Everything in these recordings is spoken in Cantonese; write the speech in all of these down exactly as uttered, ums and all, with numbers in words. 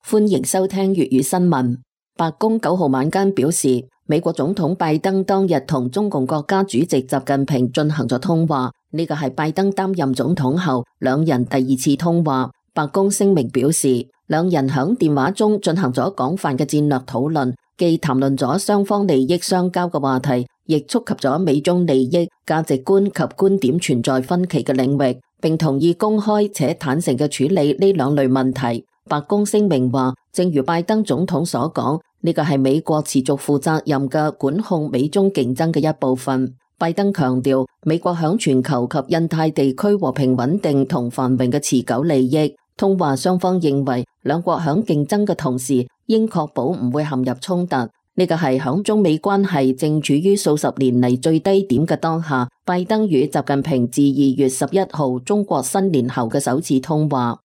歡迎收聽粵語新聞。白宮九號晚間表示，美國總統拜登當日同中共國家主席習近平進行咗通話，呢個係拜登擔任總統後兩人第二次通話。白宮聲明表示，兩人響電話中進行咗廣泛嘅戰略討論，既談論咗雙方利益相交嘅話題，亦觸及咗美中利益、價值觀及觀點存在分歧嘅領域，並同意公開且坦誠嘅處理呢兩類問題。白宮聲明話，正如拜登總統所講，呢個係美國持續負責任嘅管控美中競爭嘅一部分。拜登強調，美國響全球及印太地區和平穩定同繁榮嘅持久利益。通話雙方認為，兩國響競爭嘅同時，應確保唔會陷入衝突。呢個係響中美關係正處於數十年嚟最低點嘅當下，拜登與習近平自二月十一號中國新年後嘅首次通話。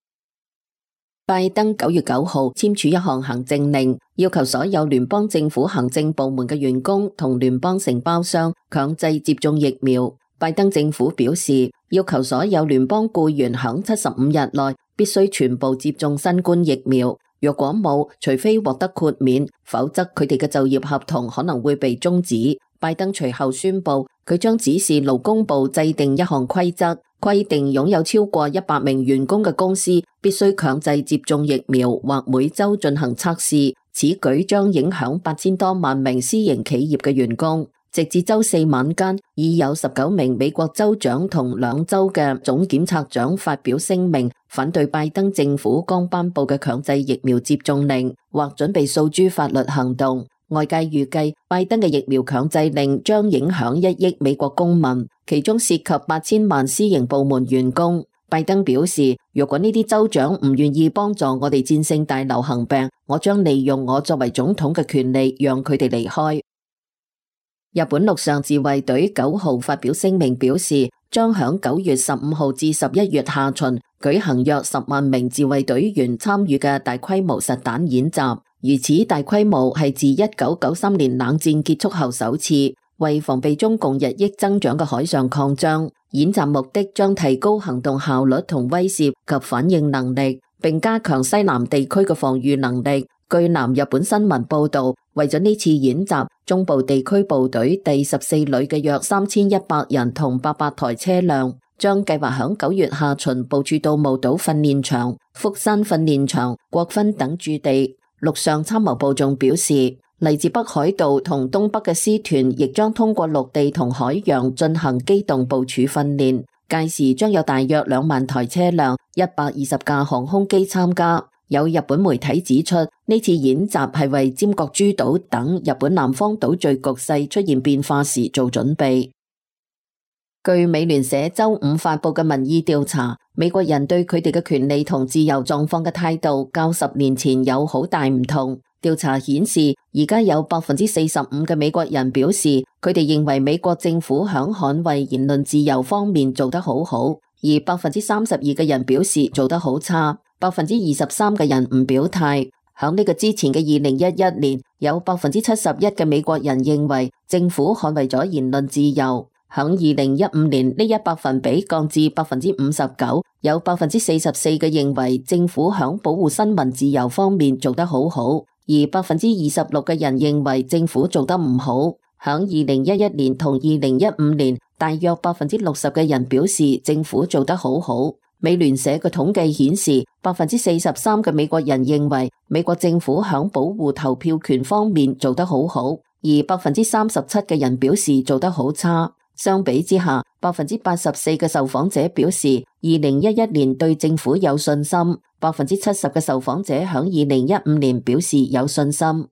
拜登九月九號簽署一項行政令，要求所有聯邦政府行政部門嘅員工同聯邦承包商強制接種疫苗。拜登政府表示，要求所有聯邦僱員響七十五日內必須全部接種新冠疫苗。若果冇，除非獲得豁免，否則佢哋嘅就業合同可能會被終止。拜登隨後宣布，佢將指示勞工部制定一項規則，規定擁有超過一百名員工嘅公司必須強制接種疫苗或每周進行測試。此舉將影響八千多萬名私營企業嘅員工。直至周四晚間，已有十九名美國州長同兩州嘅總檢察長發表聲明，反對拜登政府剛頒布嘅強制疫苗接種令，或準備訴諸法律行動。外界預計，拜登嘅疫苗強制令將影響一億美國公民，其中涉及八千萬私營部門員工。拜登表示，如果呢啲州長唔願意幫助我哋戰勝大流行病，我將利用我作為總統嘅權利，讓佢哋離開。日本陸上自衛隊九號發表聲明表示，將響九月十五號至十一月下旬舉行約十萬名自衛隊員參與嘅大規模實彈演習，而此大規模係自一九九三年冷戰結束後首次，為防備中共日益增長嘅海上擴張。演習目的將提高行動效率同威懾及反應能力，並加強西南地區嘅防禦能力。據南日本新聞報道，為咗呢次演習，中部地區部隊第十四旅嘅約三千一百人同八百台車輛，將計劃響九月下旬部署到霧島訓練場、福山訓練場、國分等駐地。陸上參謀部仲表示，嚟自北海道同東北嘅師團亦將通過陸地同海洋進行機動部署訓練，屆時將有大約兩萬台車輛、一百二十架航空機參加。有日本媒體指出，呢次演習係為尖閣諸島等日本南方島嶼局勢出現變化時做準備。據美聯社周五發佈嘅民意調查，美國人對佢哋嘅權利同自由狀況嘅態度較十年前有好大唔同。調查顯示，而家有百分之四十五嘅美國人表示，佢哋認為美國政府響捍衛言論自由方面做得好好，而百分之三十二嘅人表示做得好差。百分之二十三嘅人唔表態。響呢個之前嘅二零一一年，有百分之七十一嘅美國人認為政府捍衛咗言論自由。響二零一五年呢一百分比降至百分之五十九，有百分之四十四嘅認為政府響保護新聞自由方面做得好好，而百分之二十六嘅人認為政府做得唔好。響二零一一年同二零一五年，大約百分之六十嘅人表示政府做得好好。美聯社嘅統計顯示，百分之四十三嘅美國人認為美國政府響保護投票權方面做得好好，而百分之三十七嘅人表示做得好差。相比之下，百分之八十四嘅受訪者表示二零一一年對政府有信心，百分之七十嘅受訪者響二零一五年表示有信心。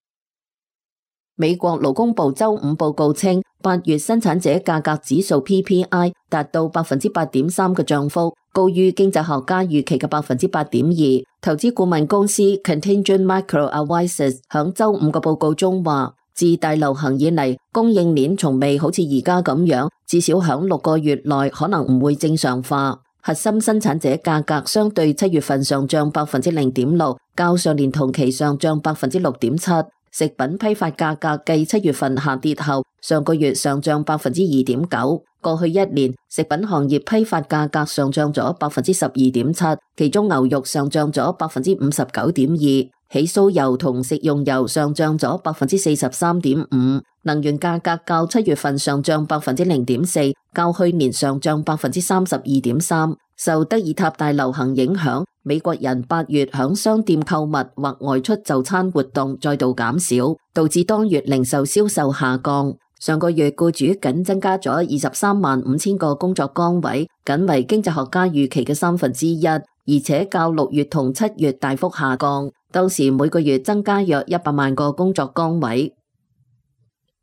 美國勞工部周五報告稱，八月生產者價格指數 P P I 達到百分之八點三嘅漲幅，高於經濟學家預期嘅百分之八點二。投資顧問公司 Contingent Micro Advisors 響周五嘅報告中話，自大流行以嚟，供應鏈從未好似而家咁樣，至少響六個月內可能唔會正常化。核心生產者價格相對七月份上漲百分之零點六，較上年同期上漲百分之六點七。食品批發價格繼七月份下跌後，上個月上漲百分之二點九。過去一年，食品行業批發價格上漲咗百分之十二點七，其中牛肉上漲咗百分之五十九點二。起酥油同食用油上漲咗百分之四十三點五，能源價格較七月份上漲百分之零點四，較去年上漲百分之三十二點三。受德爾塔大流行影響，美國人八月響商店購物或外出就餐活動再度減少，導致當月零售銷售下降。上個月僱主僅增加咗二十三萬五千個工作崗位，僅為經濟學家預期嘅三分之一，而且較六月同七月大幅下降。當時每個月增加約一百萬個工作崗位。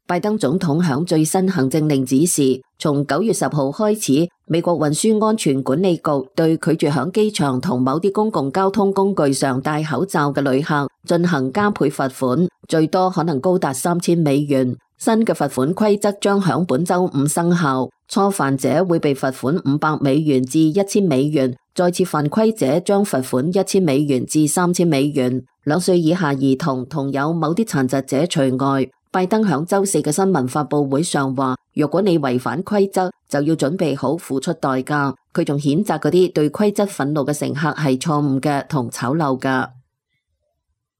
拜登總統響最新行政令指示，從九月十號開始，美國運輸安全管理局對拒絕響機場同某啲公共交通工具上戴口罩嘅旅客進行加倍罰款，最多可能高達三千美元。新嘅罰款規則將響本周五生效，初犯者會被罰款五百美元至一千美元，再次犯規者將罰款一千美元至三千美元。兩歲以下兒童同有某啲殘疾者除外。拜登響周四嘅新聞發佈會上話，若果你違反規則，就要準備好付出代價。佢仲譴責嗰啲對規則憤怒嘅乘客係錯誤嘅同醜陋嘅。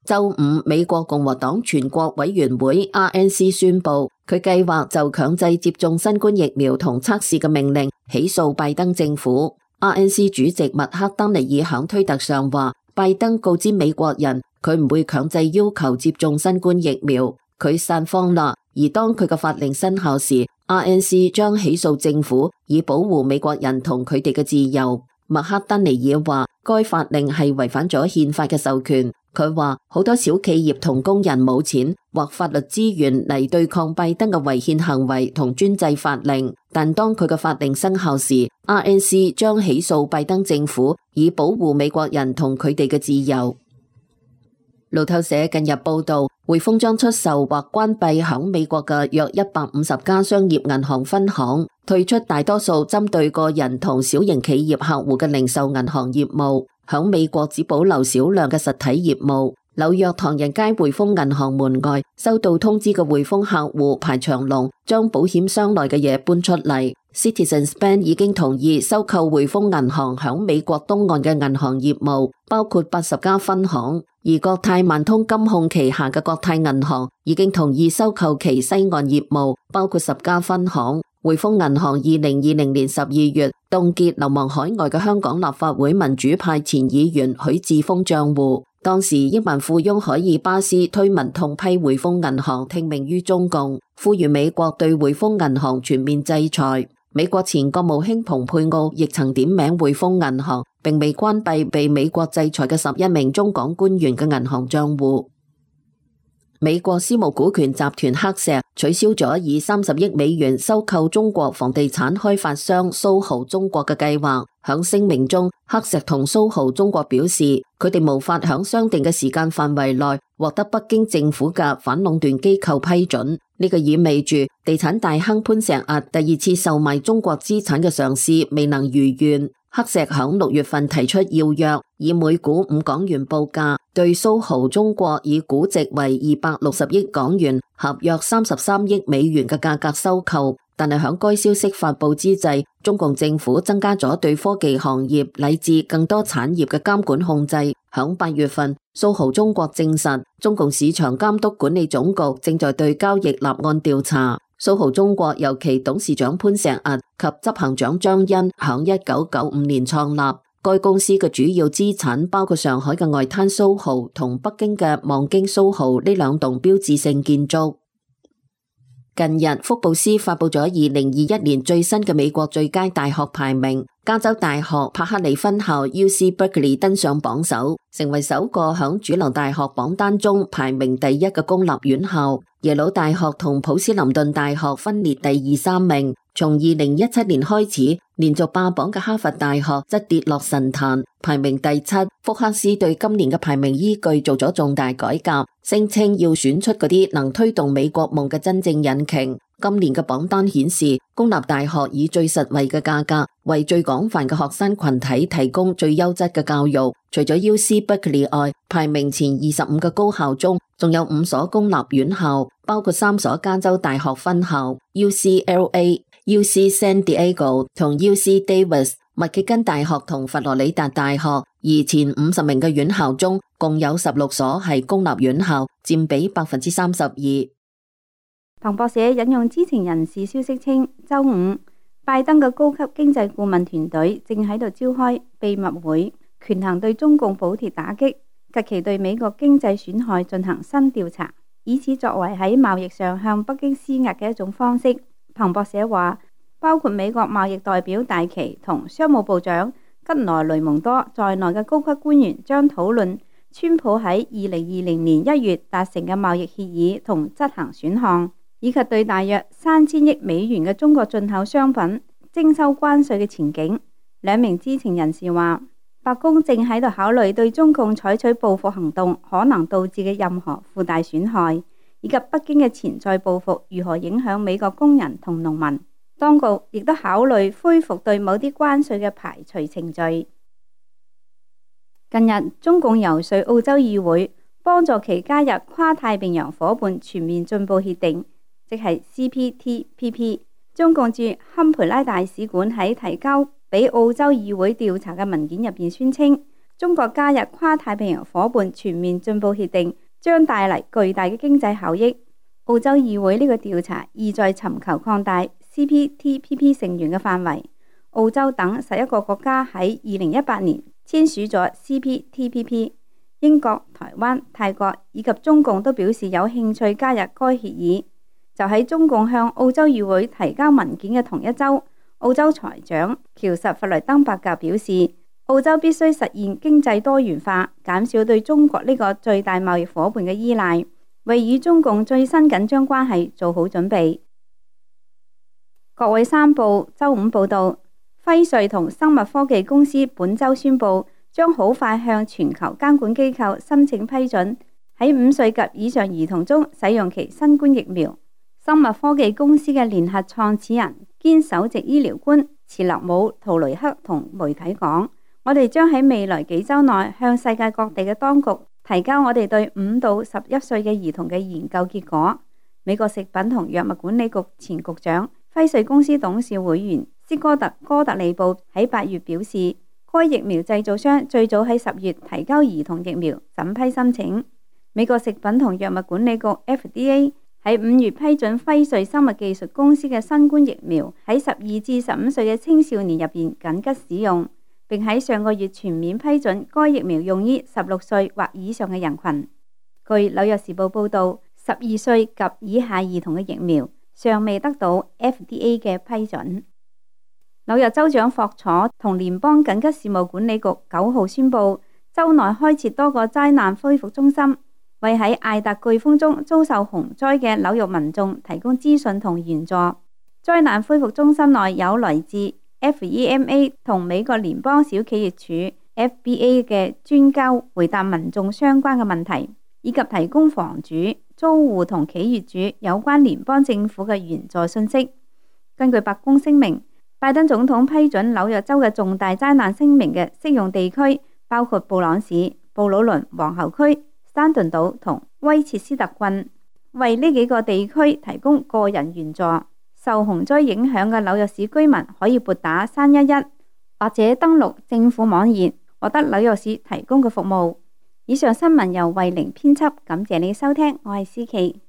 周五，美國共和黨全國委員會 R N C 宣布，佢計劃就強制接種新冠疫苗同測試嘅命令起訴拜登政府。R N C 主席麥克丹尼爾響推特上話，拜登告知美國人，佢唔會強制要求接種新冠疫苗。佢散謊啦，而當佢嘅法令生效時 ，R N C 將起訴政府，以保護美國人同佢哋嘅自由。麥克丹尼爾話，該法令係違反咗憲法嘅授權。佢話好多小企業同工人冇錢或法律資源嚟對抗拜登嘅違憲行為同專制法令，但當佢嘅法令生效時 ，R N C 將起訴拜登政府，以保護美國人同佢哋嘅自由。路透社近日報道，匯豐將出售或關閉響美國嘅約一百五十家商業銀行分行，退出大多數針對個人同小型企業客戶嘅零售銀行業務，響美國只保留少量嘅實體業務。紐約唐人街匯豐銀行門外收到通知嘅匯豐客戶排長龍，將保險箱內嘅嘢搬出嚟。Citizens Bank 已經同意收購匯豐銀行響美國東岸嘅銀行業務，包括八十家分行。而國泰萬通金控旗下嘅國泰銀行已經同意收購其西岸業務，包括十家分行。匯豐銀行二零二零年十二月凍結流亡海外嘅香港立法會民主派前議員許智峰賬戶。當時億萬富翁海爾巴斯推文痛批匯豐銀行聽命於中共，呼籲美國對匯豐銀行全面制裁。美國前國務卿蓬佩奧亦曾點名匯豐銀行，並未關閉被美國制裁嘅十一名中港官員嘅銀行賬戶。美國私募股權集團黑石取消咗以三十億美元收購中國房地產開發商蘇豪中國嘅計劃。響聲明中，黑石同蘇豪中國表示，佢哋無法響商定嘅時間範圍內獲得北京政府嘅反壟斷機構批准。呢個意味住地產大亨潘石屹第二次售賣中國資產嘅嘗試未能如願。黑石響六月份提出要約，以每股五港元報價，對蘇豪中國以估值為二百六十億港元，合約三十三億美元嘅價格收購。但係響該消息發佈之際，中共政府增加咗對科技行業乃至更多產業嘅監管控制。響八月份，蘇豪中國證實，中共市場監督管理總局正在對交易立案調查。蘇豪中國由其董事長潘石屹及執行長張欣響一九九五年創立。該公司嘅主要資產包括上海嘅外灘蘇豪同北京嘅望京蘇豪呢兩棟標誌性建築。近日，福布斯發佈咗二零二一年最新嘅美國最佳大學排名，加州大學柏克利分校 U C Berkeley 登上榜首，成為首個響主流大學榜單中排名第一嘅公立院校。耶魯大學同普斯林頓大學分列第二三名。從二零一七年開始，連續霸榜嘅哈佛大學則跌落神壇，排名第七。福克斯對今年嘅排名依據做咗重大改革，聲稱要選出嗰啲能推動美國夢嘅真正引擎。今年嘅榜單顯示，公立大學以最實惠嘅價格，為最廣泛嘅學生群體提供最優質嘅教育。除咗 U C Berkeley 外，排名前二十五個高校中，仲有五所公立院校，包括三所加州大學分校 U C L A、U C San Diego 同 U C Davis。密歇根大學同佛羅里達大學而前五十名嘅院校中，共有十六所係公立院校，佔比百分之三十二。彭博社引用知情人士消息稱，周五拜登嘅高級經濟顧問團隊正喺度召開秘密會，權衡對中共補貼打擊及其對美國經濟損害進行新調查，以此作為喺貿易上向北京施壓嘅一種方式。彭博社話，包括美國貿易代表戴琪同商務部長吉萊雷蒙多在內嘅高級官員將討論川普喺二零二零年一月達成嘅貿易協議同執行選項，以及對大約三千億美元嘅中國進口商品徵收關稅嘅前景。兩名知情人士話，白宮正喺度考慮對中共採取報復行動可能導致嘅任何附帶損害，以及北京嘅潛在報復如何影響美國工人同農民。當局亦都考慮恢復對某啲關稅嘅排除程序。近日，中共游說澳洲議會幫助其加入跨太平洋夥伴全面進步協定，即係 C P T P P。中共駐堪培拉大使館喺提交俾澳洲議會調查嘅文件入邊宣稱，中國加入跨太平洋夥伴全面進步協定將帶嚟巨大嘅經濟效益。澳洲議會呢個調查意在尋求擴大 C P T P P 成員嘅範圍。澳洲等十一個國家喺二零一八年簽署咗 C P T P P， 英國、台灣、泰國以及中共都表示有興趣加入該協議。就喺中共向澳洲議會提交文件嘅同一周，澳洲財長喬什弗雷登伯格表示，澳洲必須實現經濟多元化，減少對中國呢個最大貿易夥伴嘅依賴，為與中共最新緊張關係做好準備。國會山報周五報道，輝瑞同生物科技公司本周宣布，將好快向全球監管機構申請批准，喺五歲及以上兒童中使用其新冠疫苗。生物科技公司嘅聯合創始人兼首席醫療官茨勒姆圖雷克同媒體講，我哋將喺未來幾週內向世界各地嘅當局提交我哋對五到十一歲嘅兒童嘅研究結果。美國食品同藥物管理局前局長、輝瑞公司董事會員斯哥特哥特利布喺八月表示，該疫苗製造商最早喺十月提交兒童疫苗審批申請。美國食品同藥物管理局 F D A 喺五月批准輝瑞生物技術公司嘅新冠疫苗喺十二至十五歲嘅青少年入邊緊急使用，並喺上個月全面批准該疫苗用於十六歲或以上嘅人群。據紐約時報報道，十二歲及以下兒童嘅疫苗尚未得到 F D A 嘅批准。紐約州長霍楚同聯邦緊急事務管理局九號宣布，州內開設多個災難恢復中心，為喺艾達颶風中遭受洪災嘅紐約民眾提供資訊同援助。災難恢復中心內有來自 F E M A 同美國聯邦小企業處 F B A 嘅專家回答民眾相關嘅問題，以及提供房主、租戶同企業主有關聯邦政府嘅援助信息。根據白宮聲明，拜登總統批准紐約州嘅重大災難聲明嘅適用地區包括布朗市、布魯倫皇后區、山頓島同威切斯特郡，為呢幾個地區提供個人援助。受洪災影響嘅紐約市居民可以撥打三一一或者登錄政府網頁獲得紐約市提供嘅服務。以上新聞由慧玲編輯，感謝你收聽，我係思琪。